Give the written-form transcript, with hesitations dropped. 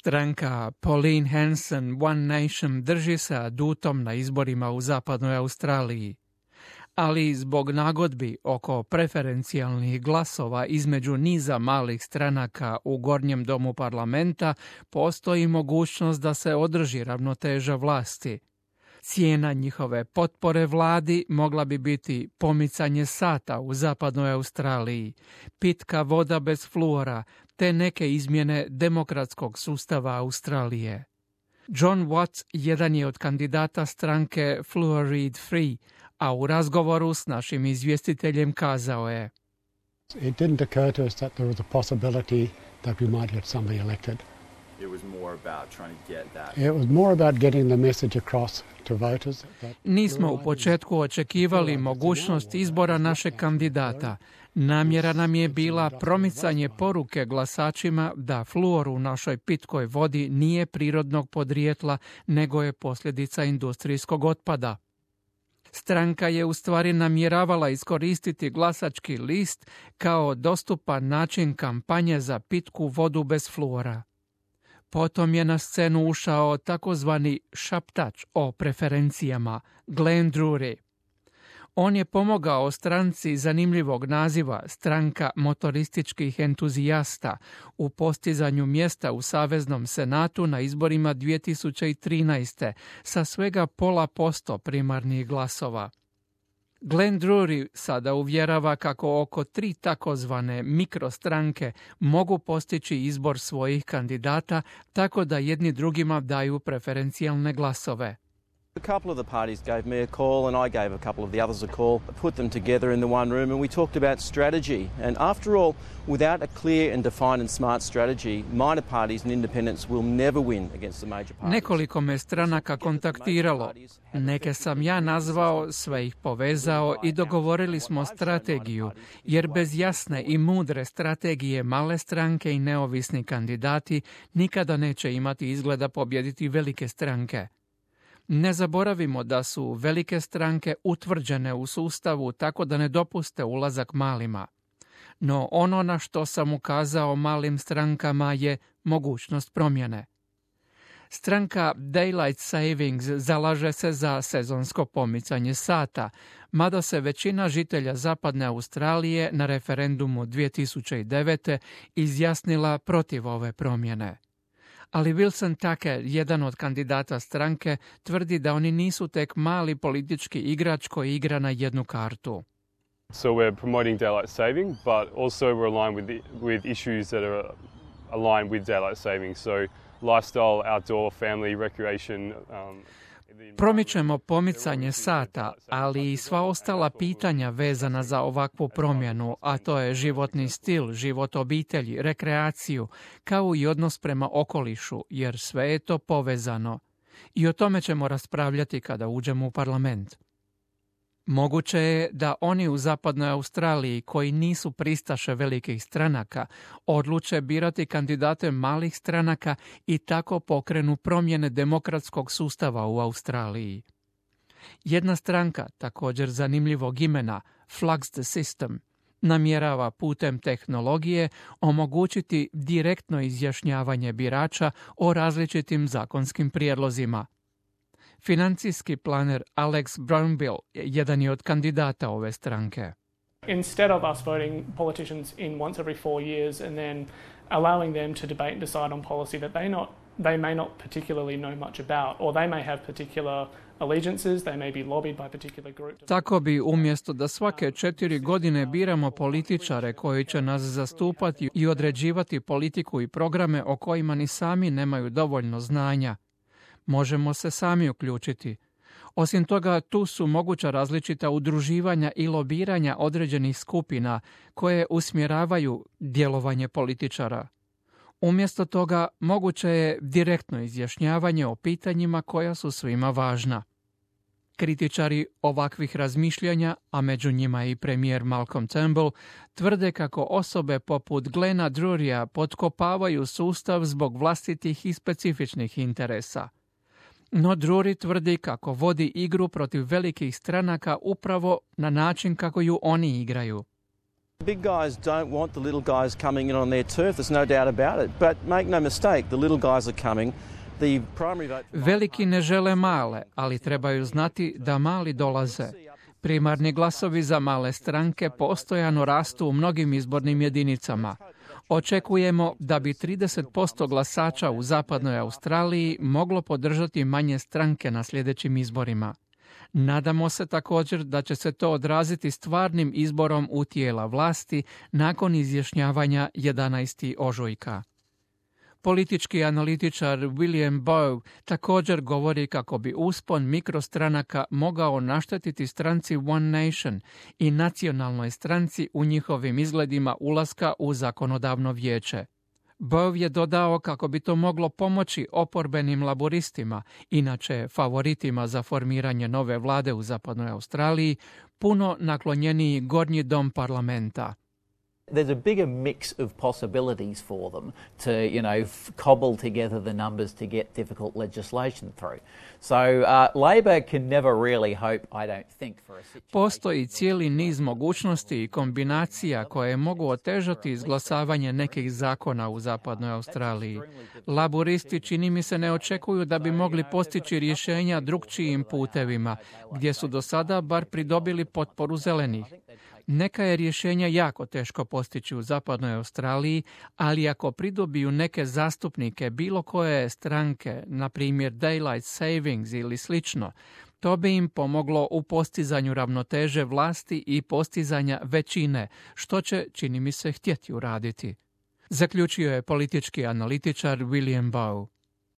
Stranka Pauline Hanson One Nation drži se adutom na izborima u zapadnoj Australiji, ali zbog nagodbi oko preferencijalnih glasova između niza malih stranaka u gornjem domu parlamenta postoji mogućnost da se održi ravnoteža vlasti. Cijena njihove potpore vladi mogla bi biti pomicanje sata u zapadnoj Australiji, pitka voda bez fluora, te neke izmjene demokratskog sustava Australije. John Watts jedan je od kandidata stranke Fluoride Free, a u razgovoru s našim izvjestiteljem kazao je: It didn't occur to us that there was a possibility that we might get somebody elected. It was more about trying to get that. It was more about getting the message across to voters. Nismo u početku očekivali mogućnost izbora našeg kandidata. Namjera nam je bila promicanje poruke glasačima da fluor u našoj pitkoj vodi nije prirodnog podrijetla, nego je posljedica industrijskog otpada. Stranka je u stvari namjeravala iskoristiti glasački list kao dostupan način kampanje za pitku vodu bez fluora. Potom je na scenu ušao takozvani šaptač o preferencijama, Glenn Drury. On je pomogao stranci zanimljivog naziva Stranka motorističkih entuzijasta u postizanju mjesta u Saveznom senatu na izborima 2013. sa svega 0,5% primarnih glasova. Glenn Drury sada uvjerava kako oko 3 takozvane mikrostranke mogu postići izbor svojih kandidata tako da jedni drugima daju preferencijalne glasove. A couple of the parties gave me a call and I gave a couple of the others a call, put them together in the one room and we talked about strategy. And after all, without a clear and defined and smart strategy, minor parties and independents will never win against the major parties. Nekoliko me stranaka kontaktiralo. Neke sam ja nazvao, sve ih povezao i dogovorili smo strategiju, jer bez jasne i mudre strategije male stranke i neovisni kandidati nikada neće imati izgleda pobijediti velike stranke. Ne zaboravimo da su velike stranke utvrđene u sustavu tako da ne dopuste ulazak malima. No ono na što sam ukazao malim strankama je mogućnost promjene. Stranka Daylight Savings zalaže se za sezonsko pomicanje sata, mada se većina žitelja zapadne Australije na referendumu 2009. izjasnila protiv ove promjene. Ali Wilson Tucker, jedan od kandidata stranke, tvrdi da oni nisu tek mali politički igrač koji igra na jednu kartu. So we're promoting daylight saving, but also we're aligned with issues that are aligned with daylight saving. So lifestyle, outdoor, family, recreation. Promičemo pomicanje sata, ali i sva ostala pitanja vezana za ovakvu promjenu, a to je životni stil, život obitelji, rekreaciju, kao i odnos prema okolišu, jer sve je to povezano. I o tome ćemo raspravljati kada uđemo u parlament. Moguće je da oni u zapadnoj Australiji, koji nisu pristaše velikih stranaka, odluče birati kandidate malih stranaka i tako pokrenu promjene demokratskog sustava u Australiji. Jedna stranka, također zanimljivog imena, Flux the System, namjerava putem tehnologije omogućiti direktno izjašnjavanje birača o različitim zakonskim prijedlozima. Financijski planer Alex Brownbill jedan je od kandidata ove stranke. Instead of us voting politicians in once every 4 years and then allowing them to debate and decide on policy that they may not particularly know much about, or they may have particular allegiances, they may be lobbied by particular groups. Tako bi umjesto da svake 4 godine biramo političare koji će nas zastupati i određivati politiku i programe o kojima ni sami nemaju dovoljno znanja, možemo se sami uključiti. Osim toga, tu su moguća različita udruživanja i lobiranja određenih skupina koje usmjeravaju djelovanje političara. Umjesto toga, moguće je direktno izjašnjavanje o pitanjima koja su svima važna. Kritičari ovakvih razmišljanja, a među njima i premijer Malcolm Turnbull, tvrde kako osobe poput Glena Drurya potkopavaju sustav zbog vlastitih i specifičnih interesa. No Drury tvrdi kako vodi igru protiv velikih stranaka upravo na način kako ju oni igraju. Big guys don't want the little guys coming in on their turf, there's no doubt about it. But make no mistake, the little guys are coming. The primary vote... Veliki ne žele male, ali trebaju znati da mali dolaze. Primarni glasovi za male stranke postojano rastu u mnogim izbornim jedinicama. Očekujemo da bi 30% glasača u zapadnoj Australiji moglo podržati manje stranke na sljedećim izborima. Nadamo se također da će se to odraziti stvarnim izborom u tijela vlasti nakon izjašnjavanja 11. ožujka. Politički analitičar William Bowe također govori kako bi uspon mikrostranaka mogao naštetiti stranci One Nation i nacionalnoj stranci u njihovim izgledima ulaska u zakonodavno vijeće. Bowe je dodao kako bi to moglo pomoći oporbenim laboristima, inače favoritima za formiranje nove vlade u zapadnoj Australiji, puno naklonjeniji gornji dom parlamenta. There's a bigger mix of possibilities for them to, cobble together the numbers to get difficult legislation through. So Labor can never really hope, I don't think, for a situation... Postoji cijeli niz mogućnosti i kombinacija koje mogu otežati izglasavanje nekih zakona u zapadnoj Australiji. Laboristi čini mi se ne očekuju da bi mogli postići rješenja drukčijim putevima, gdje su do sada bar pridobili potporu zelenih. Neka je rješenja jako teško postići u zapadnoj Australiji, ali ako pridobiju neke zastupnike bilo koje stranke, na primjer Daylight Savings ili slično, to bi im pomoglo u postizanju ravnoteže vlasti i postizanja većine, što će, čini mi se, htjeti uraditi. Zaključio je politički analitičar William Bowe.